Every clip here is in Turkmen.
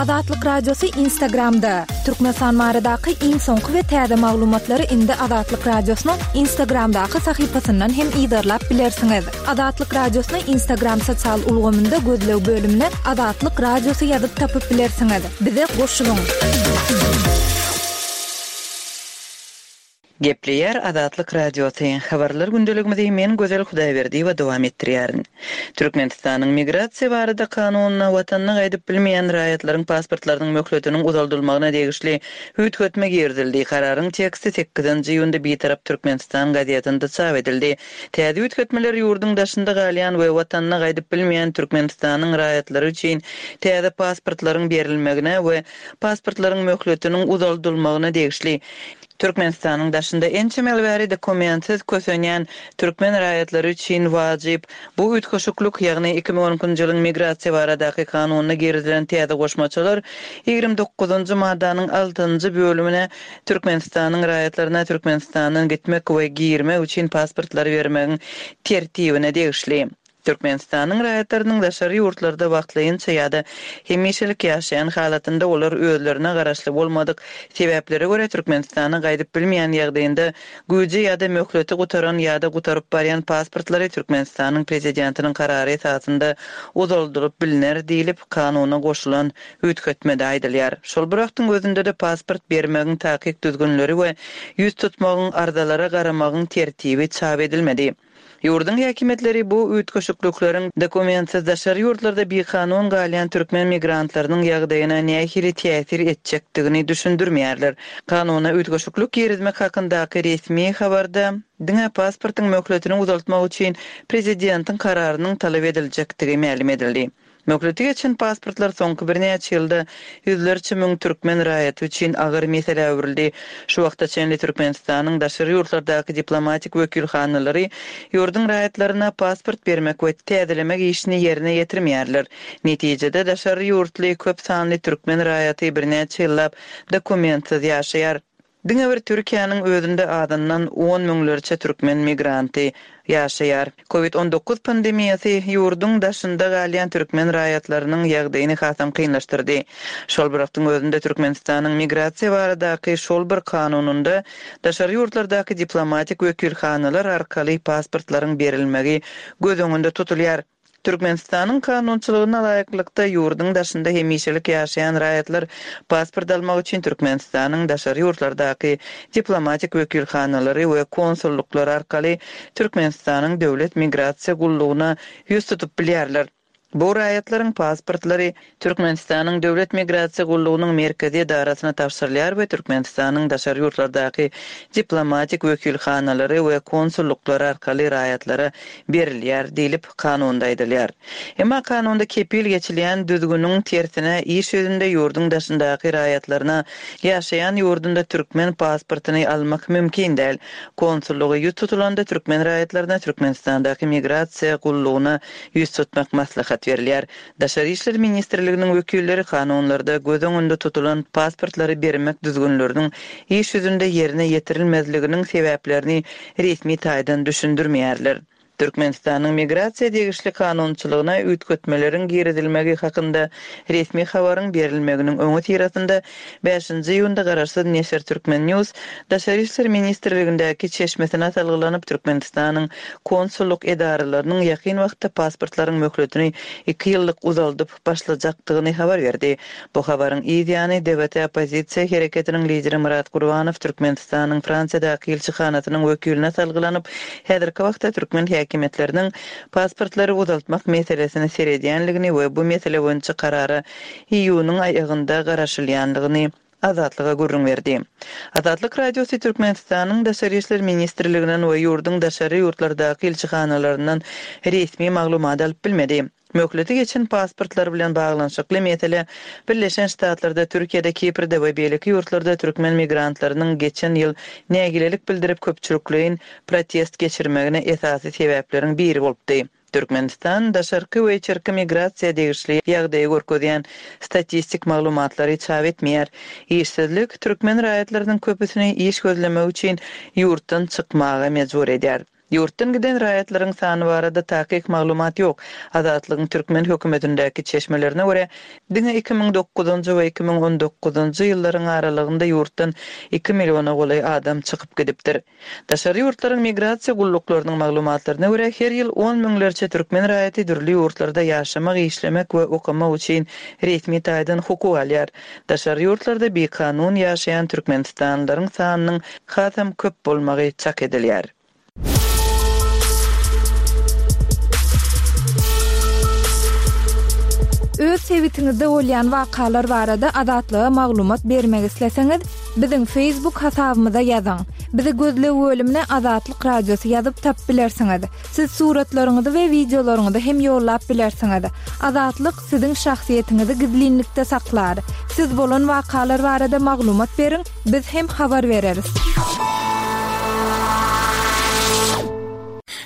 Azatlyk Radiosy Instagramda, Türkmenistan baradaky iň soňky we täze maglumatlary indi Azatlyk Radiosynyň Instagramdaky sahypasyndan hem yzarlap bilersiňiz. Azatlyk Radiosyny Instagram sosial ulgamynda gözleg bölümine Azatlyk Radiosy ýazyp tapyp bilersiňiz. Bize goşulyň! Gepleýär Azatlyk Radiosy, Habarlar gündeligimizi men Gözel Hudaýberdiýewa dowam etdirýärin. Türkmenistanyň Migrasiýa barada kanunyna watanyna gaýdyp bilmeýän raýatlaryň pasportlarynyň möhletiniň uzaldylmagyna degişli üýtgetme girizildi. Kararyň teksti sekizinji iýunda Bitarap Türkmenistan gazetinde çap edildi. Täze üýtgetmeler ýurduň daşynda galýan we watanyna gaýdyp bilmeýän Türkmenistanyň raýatlary üçin täze pasportlaryň berilmegine we pasportlaryň möhletiniň uzaldylmagyna degişli. Türkmenistanyň daşynda ençeme ýyl bäri dokumentsiz kösenýän türkmen raýatlary üçin wajyp bu üýtgeşiklik, ýagny 2012-nji ýylyň Migrasiýa baradaky kanunyna girizilen täze goşmaçalar 29-njy maddanyň altynjy bölümine Türkmenistanyň raýatlaryna Türkmenistandan gitmek we girmek üçin pasportlary bermegiň tertibine degişli. Türkmenistanyň raýatlarynyň daşary ýurtlarda wagtlaýynça ýa-da hemişelik ýaşaýan halatynda olar özlerine garaşly bolmadyk sebäplere görä Türkmenistana gaýdyp bilmeýän ýagdaýynda güýji ýa-da möhleti gutaran ýa-da gutaryp barýan pasportlary Türkmenistanyň Prezidentiniň karary esasynda uzaldylyp bilner diýlip, kanuna goşulan üýtgetmede aýdylýar. Şol bir wagtyň özünde-de pasport bermegiň takyk düzgünleri we ýüz tutmagyň, arzalara garamagyň tertibi çap edilmedi. Ýurduň häkimiýetleri bu üýtgeşiklikleriň dokumentsiz daşary ýurtlarda bikanun galýan türkmen migrantlarynyň ýagdaýyna nähili täsir etjekdigini düşündirmeýärler. Kanuna üýtgeşiklik girizmek hakyndaky resmi habarda diňe pasportyň möhletini uzaltmak üçin prezidentiň kararynyň talap ediljekdigi mälim edildi. Möhleti geçen pasportlar soňky birnäçe ýylda ýüzlerçe müň türkmen raýaty üçin agyr meselä öwrüldi. Şu wagta çenli Türkmenistanyň daşary ýurtlardaky diplomatik wekilhanalary ýurduň raýatlaryna pasport bermek we täzelemek işini ýerine ýetirmeýärler. Netijede, daşary ýurtly köp sanly türkmen raýaty birnäçe ýyllap dokumentsiz ýaşaýar. Diňe bir Türkiýäniň özünde azyndan on müňlerçe türkmen migranty ýaşaýar. Covid 19 pandemiýasy ýurduň daşynda galýan türkmen raýatlarynyň ýagdaýyny hasam kynlaşdyrdy. Şol bir wagtyň özünde Türkmenistanyň migrasiýa baradaky şol bir kanunynda daşary ýurtlardaky diplomatik wekilhanalar arkaly pasportlaryň berilmegi göz öňünde tutulýar. Türkmenistanyň kanunçylygyna laýyklykda, ýurduň daşynda hemişelik ýaşaýan raýatlar pasport almak üçin Türkmenistanyň daşary ýurtlardaky diplomatik wekilhanalary we konsullyklary arkaly Türkmenistanyň Döwlet migrasiýa gullugyna ýüz tutup bilýärler. Bu raýatlaryň pasportlary Türkmenistanyň Döwlet migrasiýa gullugynyň merkezi edarasyna tabşyrylýar we Türkmenistanyň daşary ýurtlardaky diplomatik wekilhanalary we konsullyklary arkaly raýatlara berilýär diýlip, kanunda aýdylýar. Emma kanunda kepil geçilýän düzgüniň tersine, iş ýüzünde ýurduň daşyndaky raýatlaryna ýaşaýan ýurdunda türkmen pasportyny almak mümkin däl. Konsullyga ýüz tutulanda türkmen raýatlaryna Türkmenistandaky migrasiýa gullugyna ýüz tutmak maslahat berilýär. Daşary işler ministrliginiň wekilleri kanunlarda göz öňünde tutulan pasportlary bermek düzgünleriniň iş ýüzünde ýerine ýetirilmezliginiň sebäplerini resmi taýdan düşündirmeýärler. Türkmenistanyň migrasiýa degişli kanunçylygyna üýtgetmeleriň girizilmegi hakynda resmi habaryň berilmeginiň öňüsyrasynda bäşinji iýunda garaşsyz neşir Turkmen. News Daşary işler ministrligindäki çeşmesine salgylanyp, Türkmenistanyň konsullyk edaralarynyň ýakyn wagtda pasportlaryň möhletini iki ýyllyk uzaldyp başlajakdygyny habar berdi. Bu habaryň yz ýany, DWT oppozisiýa hereketiniň lideri Myrat Gurbanow Türkmenistanyň Fransiýadaky ilçihanasynyň wekiline salgylanyp, häzirki wagtda türkmen häkimiýetleriniň pasportlary uzaltmak meselesine seredýänligini we bu mesele boýunça karara iýunyň aýagynda garaşylýandygyny Azatlyga gürrüň berdi. Azatlyk Radiosy Türkmenistanyň Daşary işler ministrliginden we ýurduň daşary ýurtlardaky ilçihanalaryndan resmi maglumat alyp bilmedi. Möhleti geçen pasportlar bilen baglanyşykly mesele Birleşen Ştatlarda, Türkiýede, Kiprde we beýleki ýurtlarda türkmen migrantlarynyň geçen ýyl nägilelik bildirip köpçülikleýin protest geçirmegine esasy sebäpleriň biri bolupdy. Türkmenistan daşarky we içerki migrasiýa degişli ýagdaýy görkezýän statistik maglumatlary çap etmeýär. Işsizlik türkmen raýatlarynyň köpüsini iş gözlemek üçin ýurtdan çykmaga mejbur edýär. Ýurtdan giden raýatlaryň sany barada takyk maglumat ýok. Azatlygyň türkmen hökümetindäki çeşmelerine görä, diňe 2009-njy we 2019-njy ýyllaryň aralygynda ýurtdan iki milliona golaý adam çykyp gidipdir. Daşary ýurtlaryň migrasiýa gulluklarynyň maglumatlaryna görä, her ýyl on müňlerçe türkmen raýaty dürli ýurtlarda ýaşamak, işlemek we okamak üçin resmi taýdan hukuk alýar. Daşary ýurtlarda bikanun ýaşaýan türkmenistanlylaryň sanynyň hasam köp bolmagy çak edilýär. Öz sebitiňizde bolýan wakalar barada Azatlyga maglumat bermek isleseňiz, biziň Facebook hasabymyza ýazyň. Bizi gözleg bölümine Azatlyk Radiosy ýazyp tapyp bilersiňiz. Siz suratlaryňyzy we wideolaryňyzy hem ýollap bilersiňiz. Azatlyk siziň şahsyýetiňizi gizlinlikde saklar. Siz bolan wakalar barada maglumat beriň, biz hem habar bereris.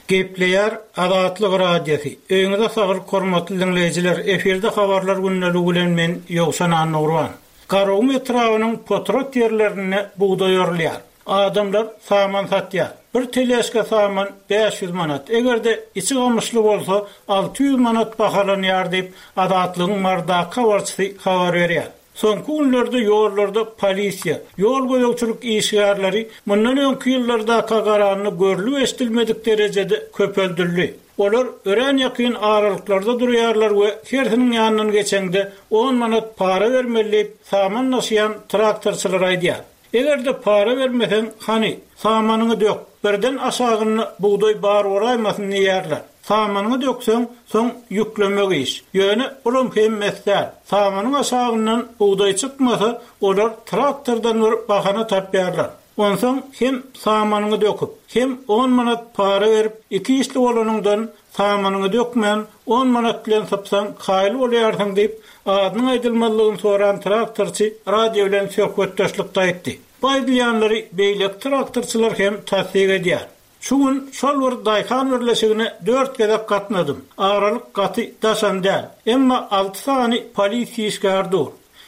Gepleýär Azatlyk Radiosy. Öýüňize saglyk hormatly diňleýjiler, efirde habarlar gündeligi bilen men Ýowşan Annagurban. Garagum etrabynyň potrat ýerlerinde bugdaý orulýar. Adamlar saman satýar. Bir teležka saman 500 manat, eger-de içi gamyşly bolsa 600 manat bahalanýar diýip, Azatlygyň Marydaky habarçysy habar berýär. Soňky günlerde ýollarda polisiýa, ýol gözegçilik işgärleri mundan öňki ýyllardaka garanda görlüp-eşidilmedik derejede köpeldildi. Olar örän ýakyn aralyklarda durýarlar we hersiniň ýanyndan geçeňde on manat para bermeli diýip, saman daşaýan traktorçylar aýdýar. Eger-de para bermeseň, hany, samanyňy dök, birden aşagynda bugdaý bar bolaýmasyn diýýärler. Samanyňy dökseň, soň ýüklemek iş. Ýöne bulam hemmesi däl. Samanyň aşagyndan bugdaý çykmasa, olar traktordan bir bahana tapýarlar. Onsoň hem samanyňy döküp, hem on manat para berip, iki işli bolanyňdan, samanyňy dökmän, on manat bilen sypsaň, kaýyl bolýarsyň diýip, adynyň aýdylmazlygyny soran traktorçy radio bilen söhbetdeşlikde aýtdy. Bu aýdylýanlary beýleki traktorçylar hem tassyk edýär. Şu gün şol bir daýhan birleşigine dört gezek gatnadym. Aralyk gaty daşam däl. Emma alty sany polisiýa işgäri dur.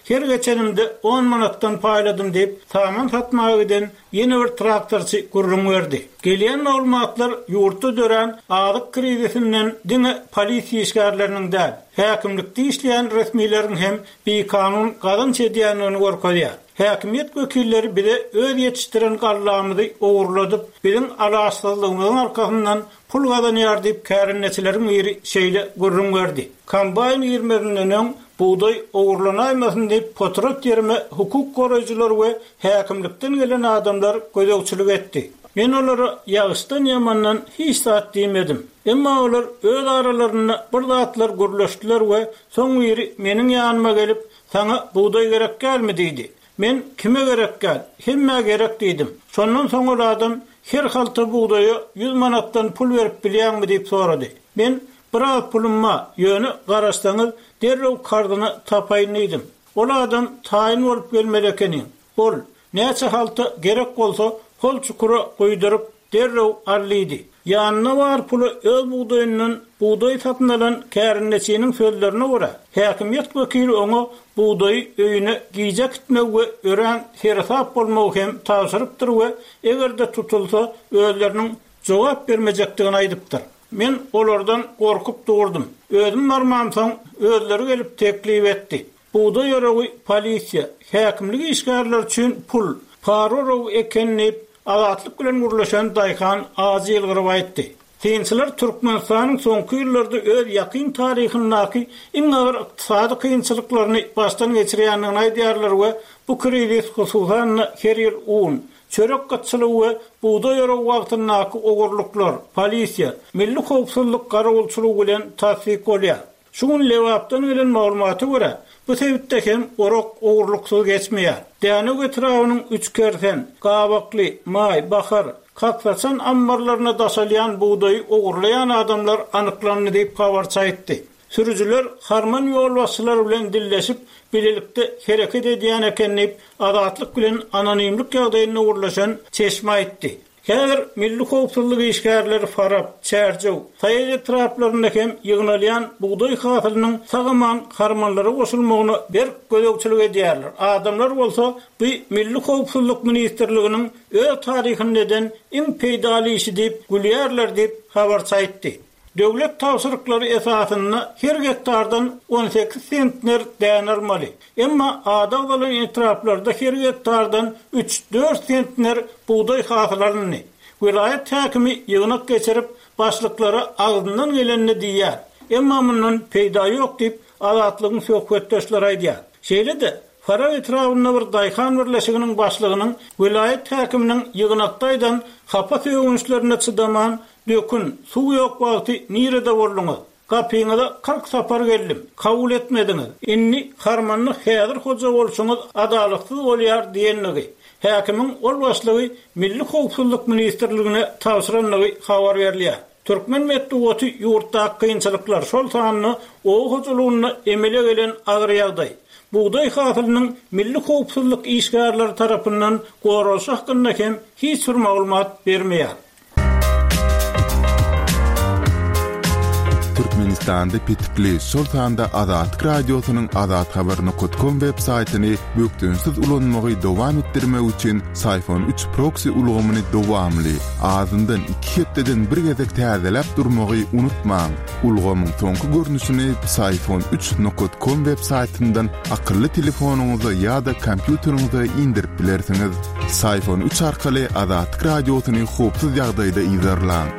Her geçenimde on manatdan paýladym diýip, saman satmaga giden ýene bir traktorçy gürrüň berdi. Gelýän maglumatlar ýurtda dörän azyk krizisinden diňe polisiýa işgärleriniň däl, häkimlikde işleýän resmileriň hem bikanun gazanç edýändigini görkezýär. Häkimiýet wekilleri bize öz ýetişdiren gallamyzy ogurladyp, biziň alaçsyzlygymyzyň arkasyndan pul gazanýar diýip, kärendeçileriň biri şeýle gürrüň berdi. Kombaýn girmezinden öň bugdaý ogurlanaýmasyn diýip, potrat ýerime hukuk goraýjylar we häkimlikden gelen adamlar gözegçilik etdi. Men olara ýagyşdan-ýamandan hiç zat diýmedim. Emma olar öz aralarynda bir zatlar gürleşdiler we soň biri meniň ýanyma gelip, Saňa bugdaý gerek dälmi? diýdi. Men, Kime gerek däl, hemmä gerek diýdim. Şondan soň ol adam, Her halta bugdaýa ýüz manatdan pul berip bilýäňmi? diýip sorady. Men, Biraz pulum bar, ýöne garaşsaňyz, derrew karzyna tapaýyn diýdim. Ol adam, Taýyn bolup gelmeli ekeniň. Bol, näçe halta gerek bolsa, hol çukura guýduryp, derrew al diýdi. Ýanynda bar puly öz bugdaýyndan bugdaý satyn alan kärendeçiniň sözlerine görä, häkimiýet wekili oňa bugdaýy öýüne gije äkitmegi we örän seresap bolmagy hem tabşyrypdyr we eger-de tutulsa, özleriniň jogap bermejekdigini aýdypdyr. Men olardan gorkup durdum. Özüm barmamsoň, özleri gelip teklip etdi. Bugdaý oragy polisiýa, häkimlik işgärleri üçin pul, para oragy eken diýip, Azatlyk bilen gürleşen daýhan ajy ýylgyryp aýtdy. Synçylar Türkmenistanyň soňky ýyllarda öz ýakyn taryhyndaky iň agyr ykdysady kynçylyklaryny başdan geçirýändigini aýdýarlar we bu krizis hususan-da her ýyl un, çörek gytçylygy we bugdaý oragy wagtyndaky ogurlyklar, polisiýa, milli howpsuzlyk garawulçylygy bilen tassyk bolýar. Şu gün Lebapdan gelen maglumata görä, bu sebitde hem orak ogurlyksyz geçmeýär. Dänew etrabynyň Üçkersen, Gabakly, Maý, Bahar, Kaksaçan ammarlaryna daşalýan bugdaýy ogurlaýan adamlar anyklandy diýip, habarçy aýtdy. Sürüjiler harman ýolbaşçylary bilen dilleşip, bilelikde hereket edýän eken diýip, Azatlyk bilen anonimlik ýagdaýynda gürleşen çeşme aýtdy. Häzir milli howpsuzlyk işgärleri Farap, Çärjew, Saýat etraplarynda hem ýygnalýan bugdaý hasylynyň sag-aman harmanlara goşulmagyna berk gözegçilik edýärler. Adamlar bolsa bu Milli howpsuzlyk ministrliginiň öz taryhynda eden iň peýdaly işi diýip gülýärler diýip, habarçy aýtdy. Döwlet tabşyryklary esasynda her gektardan 18 sentner däne almaly. Emma ady agzalan etraplarda her gektardan üç-dört sentner bugdaý hasyl alyndy. Welaýat häkimi ýygnak geçirip, başlyklara agzyndan gelenini diýýär. Emma mundan peýda ýok diýip, Azatlygyň söhbetdeşleri aýdýar. Şeýle-de, Farap etrabynda bir daýhan birleşiginiň başlygynyň welaýat häkiminiň ýygnakda aýdan hapa sögünçlerine çydaman, Dökün, suw ýok wagty nirede bolduňyz? Gapyňyza 40 sapar geldim, kabul etmediňiz. Indi harmanda häzir hoja bolşuňyz adalatsyz bolýar diýendigi, häkimiň ol başlygy Milli howpsuzlyk ministrligine tabşyrandygy habar berilýär. Türkmen metbugaty ýurtdaky kynçylyklar, şol sanda oba hojalygynda emele gelen agyr ýagdaý, bugdaý hasylynyň milli howpsuzlyk işgärleri tarapyndan goralyşy hakynda hem hiç bir maglumat bermeýär. Türkmenistanda petikli, şol sanda Azatlyk Radiosynyň azathabar nokat kom web saýtyny bökdençsiz ulanmagy dowam etdirmek üçin Syfon üç proksi ulgamyny dowamly, azyndan iki hepdeden bir gezek täzeläp durmagy unutmaň. Ulgamyň soňky görnüşini Psiphon üç nokat kom web saýtyndan akylly telefonyňyza ýa-da kompýuteriňize indirip bilersiňiz. Psiphon üç arkaly Azatlyk Radiosyny howpsuz ýagdaýda yzarlaň.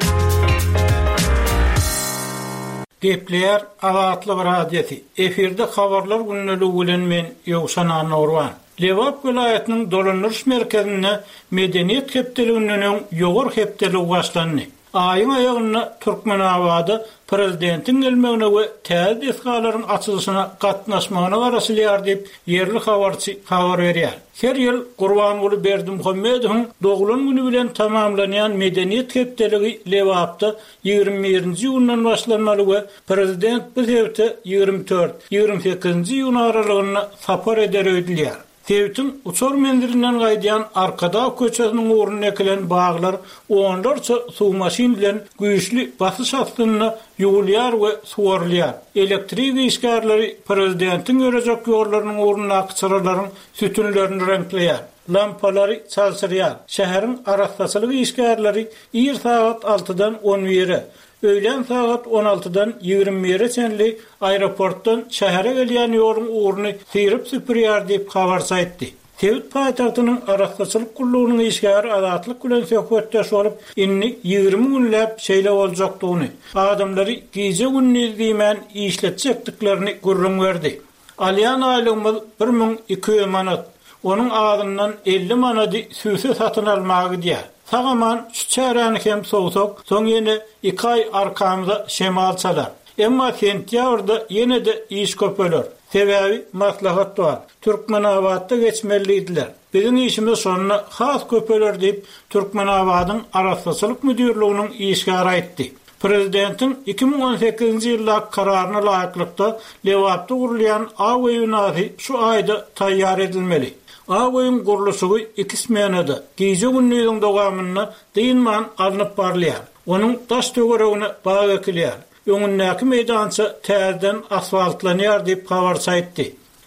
Gepleýär Azatlyk Radiosy, efirde Habarlar gündeligi bilen men Ýowşan Annagurban. Lebap welaýatynyň dolandyryş merkezinde Medeniýet hepdeliginden öň Ýowar hepdeligi başlandy. Aýyň aýagynda Türkmenabada prezidentiň gelmegine we täze desgalaryň açylyşyna gatnaşmagyna garaşylýar diýip, ýerli habarçy habar berýär. Her ýyl Gurbanguly Berdimuhamedowyň doglan güni bilen tamamlanýan Medeniýet hepdeligi Lebapda 21-nji iýundan başlanmaly we prezident bu sebite 24, 28-nji iýun aralygynda sapar eder öýdülýär. Sebitiň uçar menzilinden gaýdýan Arkadag köçesiniň ugrunda ekilen baglar onlarça suw maşyn bilen güýçli basyş astynda ýuwulýar we suwarylýar. Elektrik işgärleri prezidentiň ýörejek ýollarynyň ugrundaky çyralaryň sütünlerini reňkleýär, lampalary çalşyrýar. Şäheriň arassaçylyk işgärleri ir sagat altydan on bire, Öýlän sagat on altydan 21-e çenli aeroportdan şähere gelýän ýoluň ugruny syryp-süpürýär diýip, habarçy aýtdy. Sebit paýtagtynyň arassaçylyk gullugynyň işgäri Azatlyk bilen söhbetdeş bolup, indi 20 günläp şeýle boljakdygyny, adamlary gije-gündiz diýmän işletjekdiklerini gürrüň berdi. Alýan aýlygymyz 1200 manat. Onuň azyndan 50 manady sübse satyn almaga gidýär. Sag-aman şu çäräni hem sowsak, soň ýene iki aý arkamyza şemal çalar. Emma sentýabrda ýene-de iş köpeler. Sebäbi maslahat bar. Türkmenabatda geçmeli diýdiler. Biziň işimiz şonda has köpeler diýip, Türkmenabadyň Arassaçylyk müdirliginiň işgäri aýtdy. Prezidentiň 2018-nji ýyldaky kararyna laýyklykda, Lebapda gurulýan Ak öý binasy şu aýda taýýar edilmeli. Ak öýüň gurluşygy iki smenada, gije-gündiziň dowamynda dynman alnyp barylýar. Onuň daş-töweregine bag ekilýär. Öňündäki meýdança täzeden asfaltlanýar diýip, habarçy aýtdy.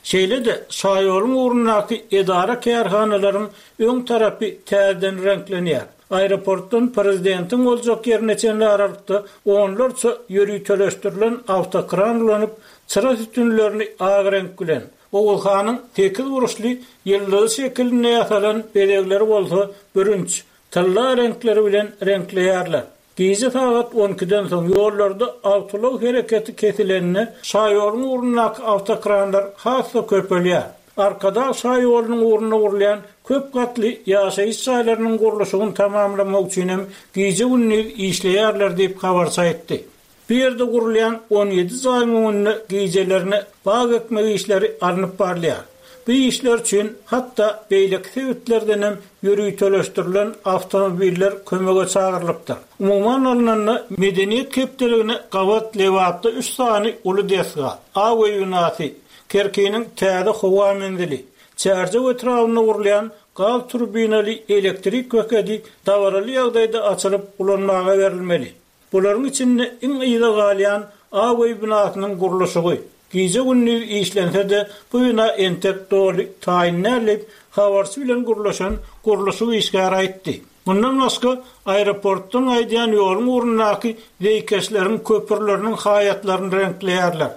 Şeýle-de, şaýoluň ugrundaky edara-kärhanalaryň öň tarapy täzeden reňklenýär. Aeroportdan prezidentiň boljak ýerine çenli aralykda onlarça ýöriteleşdirilen awtokran ulanyp, çyra sütünlerini ak reňk bilen, Oguzhanyň sekizburçly ýyldyzy şekilinde ýasalan bezegleri bolsa bürünç, tylla reňkleri bilen reňkleýärler. Gije sagat on ikiden soň ýollarda awtoulag hereketi kesilende, şaýoluň ugrundaky awtokranlar has-da köpelýär. Arkadag şaýolunyň ugrunda gurulýan köp gatly ýaşaýyş jaýlarynyň gurluşygyny tamamlamak üçin hem gije-gündiz işleýärler diýip, habarçy aýtdy. Bu ýerde gurulýan 17 jaýyň öňünde gijelerine bag ekmek işleri alnyp barylýar. Bu işler üçin hatda beýleki sebitlerden hem ýöriteleşdirilen awtomobiller kömege çagyrylypdyr. Umuman alnanda, Medeniýet hepdeligine gabat Lebapda üç sany uly desga, Ak öý binasy, Kerkiniň täze howa menzili, Çärjew etrabynda gurulýan. gaz turbinaly elektrik bekedi dabaraly ýagdaýda açylyp ulanmaga berilmeli. Bularyň içinde iň yza galýan Ak öý binasynyň gurluşygy. Gije-gündiz işlense-de, bu bina entek doly taýyn däl diýip, habarçy bilen gürleşen gurluşyk işgäri aýtdy. Mundan başga, aeroportdan gaýdýan ýoluň ugrundaky zeýkeşleriň köprüleriniň haýatlaryny reňkleýärler.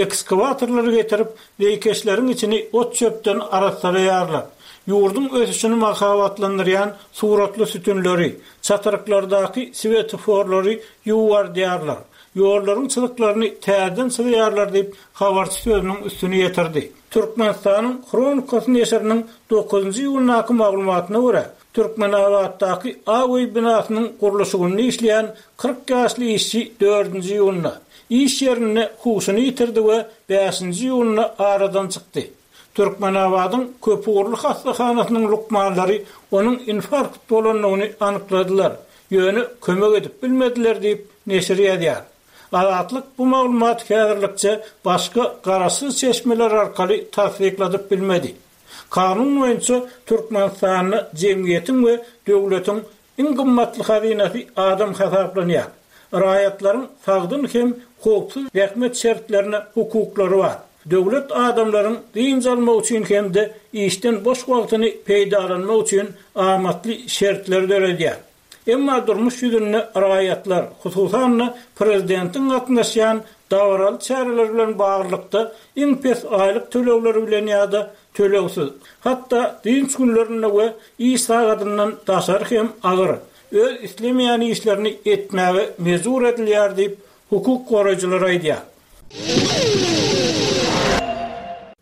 Ekskawatorlary getirip, zeýkeşleriň içini ot-çöpden arassalaýarlar. Ýurduň ösüşini mahabatlandyrýan suratly sütünleri, çatryklardaky swetoforlary ýuwardýarlar, ýollaryň çyzyklaryny täzeden çyzýarlar diýip, habarçy sözüniň üstüni ýetirdi. Türkmenistanyň Hronikasy neşiriniň dokuzynjy iýundaky maglumatyna görä, Türkmenabatdaky Ak öý binasynyň gurluşygynda işleýän 40 ýaşly işçi dördünji iýunda iş ýerinde huşuny ýitirdi we bäşinji iýunda aradan çykdy. Türkmenabadyň köpugurly hassahanasynyň lukmanlary onuň infarkt bolandygyny anykladylar, ýöne kömek edip bilmediler diýip, neşir ýazýar. Azatlyk bu maglumaty häzirlikçe başga garaşsyz çeşmeler arkaly tassykladyp bilmedi. Kanun boýunça Türkmenistanda jemgyýetiň we döwletiň iň gymmatly hazynasy adam hasaplanýar. Raýatlaryň sagdyn hem howpsuz zähmet şertlerine hukuklary bar. Döwlet adamlaryň dynç almagy üçin hem-de işden boş wagtyny peýdalanmak üçin amatly şertleri döredýär. Emma durmuş ýüzünde raýatlar, hususan-da, prezidentiň gatnaşýan dabaraly çäreleri bilen baglylykda iň pes aýlyk tölegleri bilen ýa-da tölegsiz, hatda dynç günlerinde we iş sagadyndan daşary hem agyr, öz islemeýän işlerini etmäge mejbur edilýär diýip, hukuk goraýjylar aýdýar.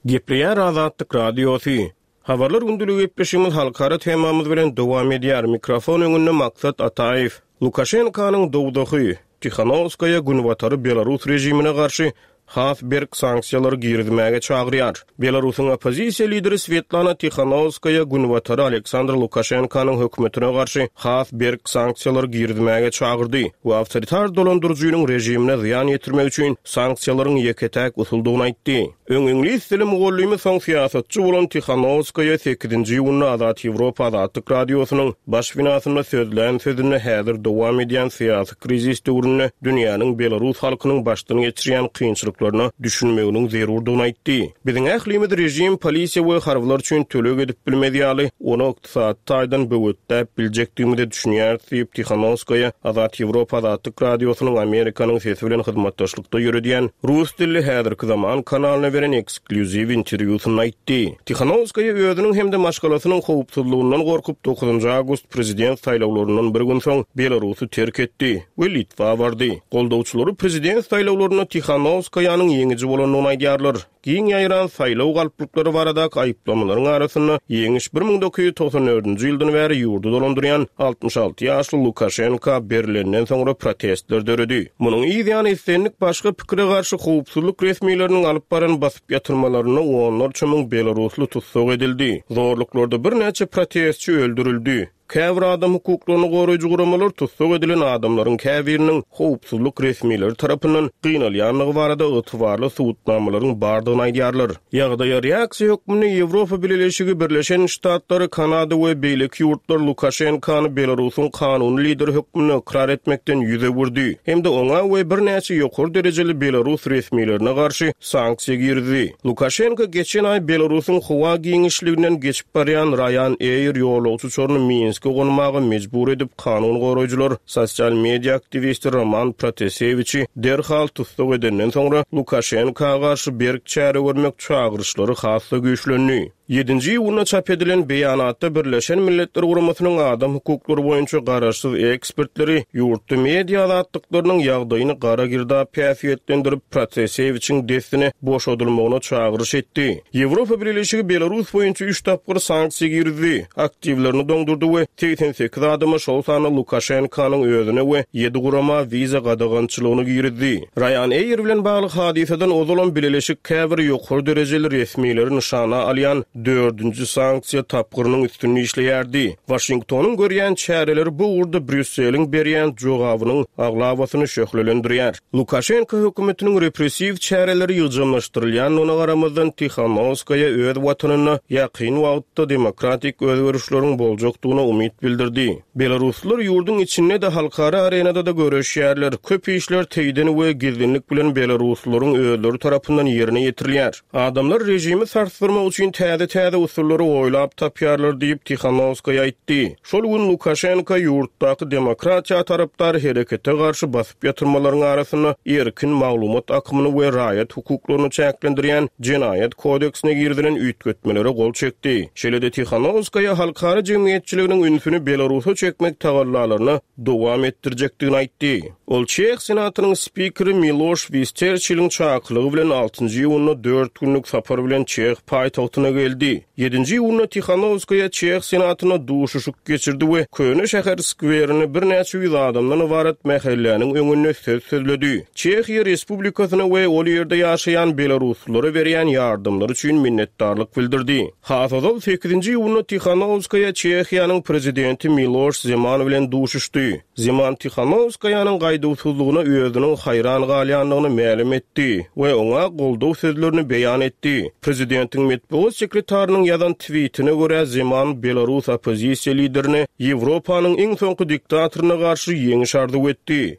Gepleýär Azatlyk Radiosy. Habarlar gündeligi gepleşigimiz halkara temamyz bilen dowam edýär. Mikrofon öňünde Maksat Ataýew. Lukaşenkanyň dowzahy, Tihanowskaýa Günbatary belarus režimine garşy has berk sanksiýalary girizmäge çagyrýar. Belarusyň oppozisiýa lideri Swetlana Tihanowskaýa Günbatary Aleksandr Lukaşenkanyň hökümetine garşy has berk sanksiýalary girizmäge çagyrdy we awtoritar dolandyryjynyň režimine zyýan ýetirmek üçin sanksiýalaryň ýeke-täk usuldygyny aýtdy. Öň iňlis dili mugallymy, soň syýasatçy bolan Tihanowskaýa sekizinji iýunda Azat Ýewropa Azatlyk Radiosynyň baş binasynda sözlän sözünde häzir dowam edýän syýasy krizis döwründe dünýäniň belarus halkynyň başdan geçirýän kynçylyklaryna düşünmeginiň zerurdygyny aýtdy. Biziň ählimiz režim, polisiýa we harbylar üçin töleg edip bilmez ýaly, ony ykdysady taýdan böwetläp biljekdigimize düşünýäris diýip, Tihanowskaýa Azat Ýewropa Azatlyk Radiosynyň Amerikanyň Sesi bilen hyzmatdaşlykda ýöredýän rus dilli Häzirki zaman kanalyna beren eksklýuziw interwýusynda aýtdy. Tihanowskaýa özüniň hem-de maşgalasynyň howpsuzlygyndan gorkup, dokuzynjy awgust prezident saýlawlaryndan bir gün soň Belarusy terk etdi we Litwa bardy. Goldawçylary prezident saýlawlarynda Tihanowskaýanyň ýeňiji bolandygyny aýdýarlar. Giň ýaýran saýlaw galplyklary baradaky aýyplamalaryň arasynda, ýeňiş 1994-nji ýyldan bäri ýurdy dolandyrýan 66 ýaşly Lukaşenka berlenden soňra protestler döredi. Munuň yz ýany islendik başga pikire garşy howpsuzlyk resmileriniň alyp baran basyp ýatyrmalarynda onlarça müň belarusly tussag edildi. Zorluklarda birnäçe protestçi öldürildi. Käbir adam hukuklaryny goraýjy guramalar tussag edilen adamlaryň käbiriniň howpsuzlyk resmileri tarapyndan gynalýandygy barada ygtybarly subutnamalaryň bardygyny aýdýarlar. Ýagdaýa reaksiýa hökmünde Ýewropa Bileleşigi, Birleşen Ştatlary, Kanada we beýleki ýurtlar Lukaşenkany Belarusyň kanuny lideri hökmünde ykrar etmekden ýüz öwürdi hem-de oňa we birnäçe ýokary derejeli belarus resmilerine garşy sanksiýa girizdi. Lukaşenko geçen aý Belarusyň howa giňişliginden geçip barýan Ryanair ýolagçy uçaryny Minske gonmaga mejbur edip, kanun goraýjylar sosial media aktiwisti Roman Protasewiçi derhal tussag edenden soňra, Lukaşenka garşy berk çäre görmek çagyryşlary has-da güýçlendi. Ýedinji iýunda çap edilen beýanatda Birleşen Milletler Guramasynyň adam hukuklary boýunça garaşsyz ekspertleri ýurtda media azatlyklarynyň ýagdaýyny gara girdap häsiýetlendirip, Protasewiçiň dessine boşadylmagyna çagyryş etdi. Ýewropa Bileleşigi Belarus boýunça üç tapgyr sanksiýa girizdi, aktiwlerini doňdurdy we 88 adama, şol sanda Lukaşenkanyň özüne we ýedi gurama wiza gadagançylygyny girizdi. Ryanair bilen bagly hadysadan ozalam bileleşik käbir ýokary derejeli resmileri nyşana alýan. dördünji sanksiýa tapgyrynyň üstünde işleýärdi. Waşingtonyň görýän çäreleri bu ugurda Brýusseliň berýän jogabynyň aglabasyny şöhlelendirýär. Lukaşenko hökümetiniň repressiw çäreleri ýygjamlaşdyrylýandygyna garamazdan, Tihanowskaýa öz watanynda ýakyn wagtda demokratik özgerişleriň boljakdygyna umyt bildirdi. Belaruslylar ýurduň içinde-de, halkara arenada-da göreşýärler. Köp işler teýden we gizlinlik bilen belaruslylaryň özleri tarapyndan ýerine ýetirilýär. Adamlar režimi sarsdyrmak üçin täze-täze usullary oýlap tapýarlar diýip, Tihanowskaýa aýtdy. Şol gün Lukaşenko ýurtdaky demokratiýa tarapdar herekete garşy basyp ýatyrmalaryň arasynda erkin maglumat akymyny we raýat hukuklaryny çäklendirýän Jenaýat kodeksine girizilen üýtgetmelere gol çekdi. Şeýle-de Tihanowskaýa halkara jemgyýetçiliginiň ünsüni Belarusa çekmek tagallalaryny dowam etdirjekdigini aýtdy. Ol Çeh Senatynyň spikeri Miloş Wisterçiliň çakylygy bilen altynjy iýunda dört günlük sapar bilen çeh paýtagtyna geldi. Ýedinji iýunda Tihanowskaýa Çeh Senatynda duşuşyk geçirdi we Köne şäher skwerinde birnäçe ýüz adamdan ybarat mähelläniň öňünde söz sözledi. Çehiýa Respublikasyna we ol ýerde ýaşaýan belaruslylara berýän ýardamlary üçin minnetdarlyk bildirdi. Has ozal, sekizinji iýunda Tihanowskaýa Çehiýanyň prezidenti Miloş Zeman bilen duşuşdy. Zeman Tihanowskaýanyň gaýduwsyzlygyna özüniň haýran galýandygyny mälim etdi we oňa goldaw sözlerini beýan etdi. Prezidentiň metbugat sekretarynyň ýazan twitine görä, Zeman belarus oppozisiýa liderine Ýewropanyň iň soňky diktatoryna garşy ýeňiş arzuw etdi.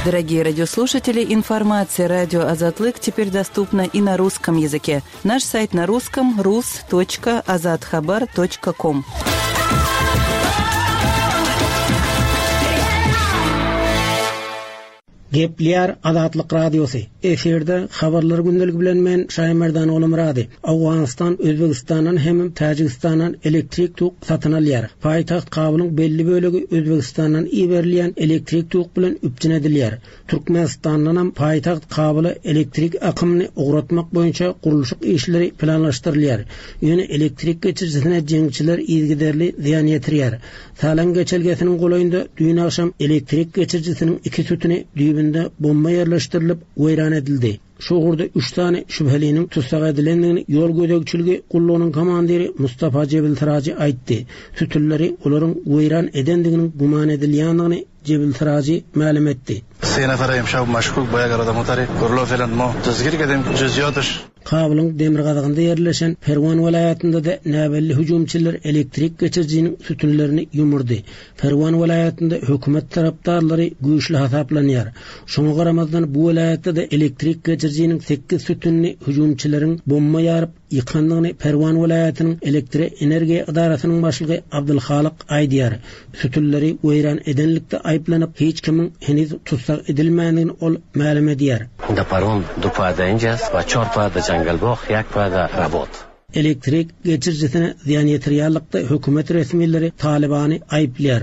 Дорогие радиослушатели, информация радио Азатлык теперь доступна и на русском языке. Наш сайт на русском rus.azathabar.com. Gepleýär Azatlyk Radiosy, Efirde Habarlar gündeligi bilen men Şaýmerdan Ogulmyrady. Owganystan Özbegistandan hemem Täjigistandan elektrik tok satyn alýar. Paýtagt Kabulyň belli bölegi Özbegistandan iberilýän elektrik tok bilen üpjün edilýär. Türkmenistandanam paýtagt Kabula elektrik akymyny ugratmak boýunça gurluşyk işleri planlaşdyrylýar. Ýöne elektrik geçirijisine jeňçiler yzygiderli zyýan ýetirýär. Salang geçelgesiniň golaýynda düýn agşam elektrik geçirijisiniň iki sütüni düýbünde bomba ýerleşdirilip, weýran edildi. Şu ugurda üç sany şübheliniň tussag edilendigini ýol gözegçiligi gullugynyň komandiri Mustafa Jebil Siraji aýtdy. Sütünleri olaryň weýran edendiginiň güman edilýändigini Jebil Siraji mälim etdi. Se nafar emşab maşkuk ba yak odam gurlo felan mo dazgir kerdem juziyotsh. Kabulyň demirgazygynda ýerleşen Perwan welaýatynda-da näbelli hüjümçiler elektrik geçirijiniň sütünlerini ýumurdy. Perwan welaýatynda hökümet tarapdarlary güýçli hasaplanýar. Şoňa garamazdan, bu welaýatda-da elektrik geçirijiniň sekiz sütünini hüjümçileriň bomba ýaryp ýykandygyny Perwan welaýatynyň elektroenergiýa edarasynyň başlygy Abdulhalyk aýdýar. Sütünleri weýran edenlikde aýyplanyp, hiç kimiň heniz tussag edilmändigini ol mälim edýär. Da Parwan du pa da injas wa çor pa da Jangalbog ýak pa da Rabot. Elektrik geçirijisine zyýan ýetirýänlikde hökümet resmileri Talybany aýyplaýar.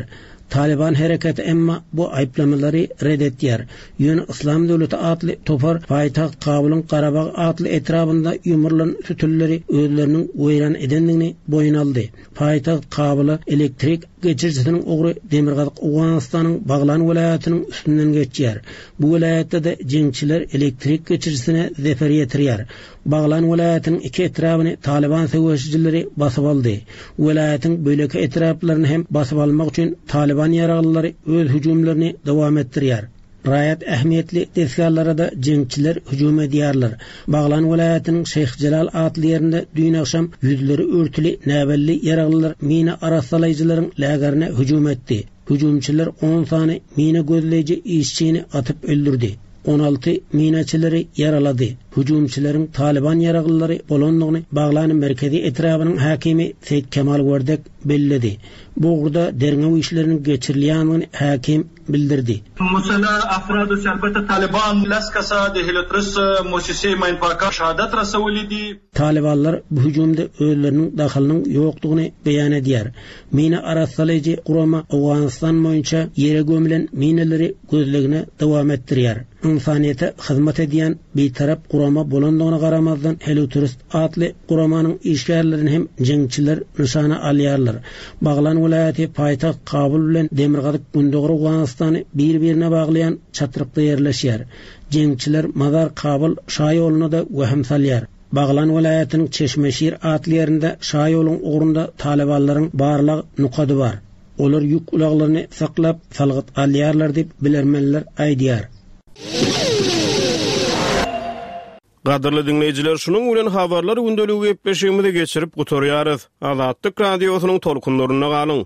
Talyban hereketi emma bu aýyplamalary ret etýär. Ýöne Yslam döwleti atly topar paýtagt Kabulyň Garabag atly etrabynda ýumrulan sütünleri özleriniň weýran edendigini boýun aldy. Paýtagt Kabula elektrik geçirijisiniň ugry demirgazyk Owganystanyň Baglan welaýatynyň üstünden geçýär. Bu welaýatda-da jeňçiler elektrik geçirijisine zeper ýetirýär. Baglan welaýatynyň iki etrabyny Talyban söweşijileri basyp aldy. Welaýatyň beýleki etraplaryny hem basyp almak üçin Talyban ýaraglylary öz hüjümlerini dowam etdirýär. Raýat ähmiýetli desgalara-da jeňçiler hüjüm edýärler. Baglan welaýatynyň Şeýh Jelal atly ýerinde düýn agşam ýüzleri örtüli näbelli ýaraglylar mina arassalaýjylaryň lägerine hüjüm etdi. Hüjümçiler on sany mina gözleýji işçini atyp öldürdi, 16 minaçileri ýaralady. Hüjümçileriň Talyban ýaraglylary bolandygyny Baglan merkezi etrabynyň häkimi Seýit Kemal Werdek belledi. Bu ugurda derňew işleriniň geçirilýändigini häkim bildirdi. Muslah افرادو چې البته طالبان لس کسه د هیلوترس موسسې ماین پاکان شهادت رسولي دي. Talybanlar bu hüjümde özleriniň dahylynyň ýokdugyny beýan edýär. Mina arassalaýjy gurama Owganystan boýunça ýere gömlen minalary gözlegini dowam etdirýär. Ynsanyýete hyzmat edýän bitarap gurama bolandygyna garamazdan Helutrust atly guramanyň işgärlerini hem jeňçiler nyşana alýarlar. Baglan welaýaty paýtagt Kabul bilen demirgazyk-gündogar Owganystanyň. Owganystany bir-birine baglaýan çatrykda ýerleşýär. Jeňçiler Mazar-Kabul şaýoluna-da wehim salýar. Baglan welaýatynyň Çeşmeşir atly ýerinde şaýoluň ugrunda talybanlaryň barlag nokady bar. Olar ýük ulaglaryny saklap, salgyt alýarlar diýip, bilermenler aýdýar. Gadyrly diňleýjiler, şunuň bilen Habarlar gündeligi gepleşigimizi geçirip gutarýarys. Azatlyk Radiosynyň tolkunlarynda galyň!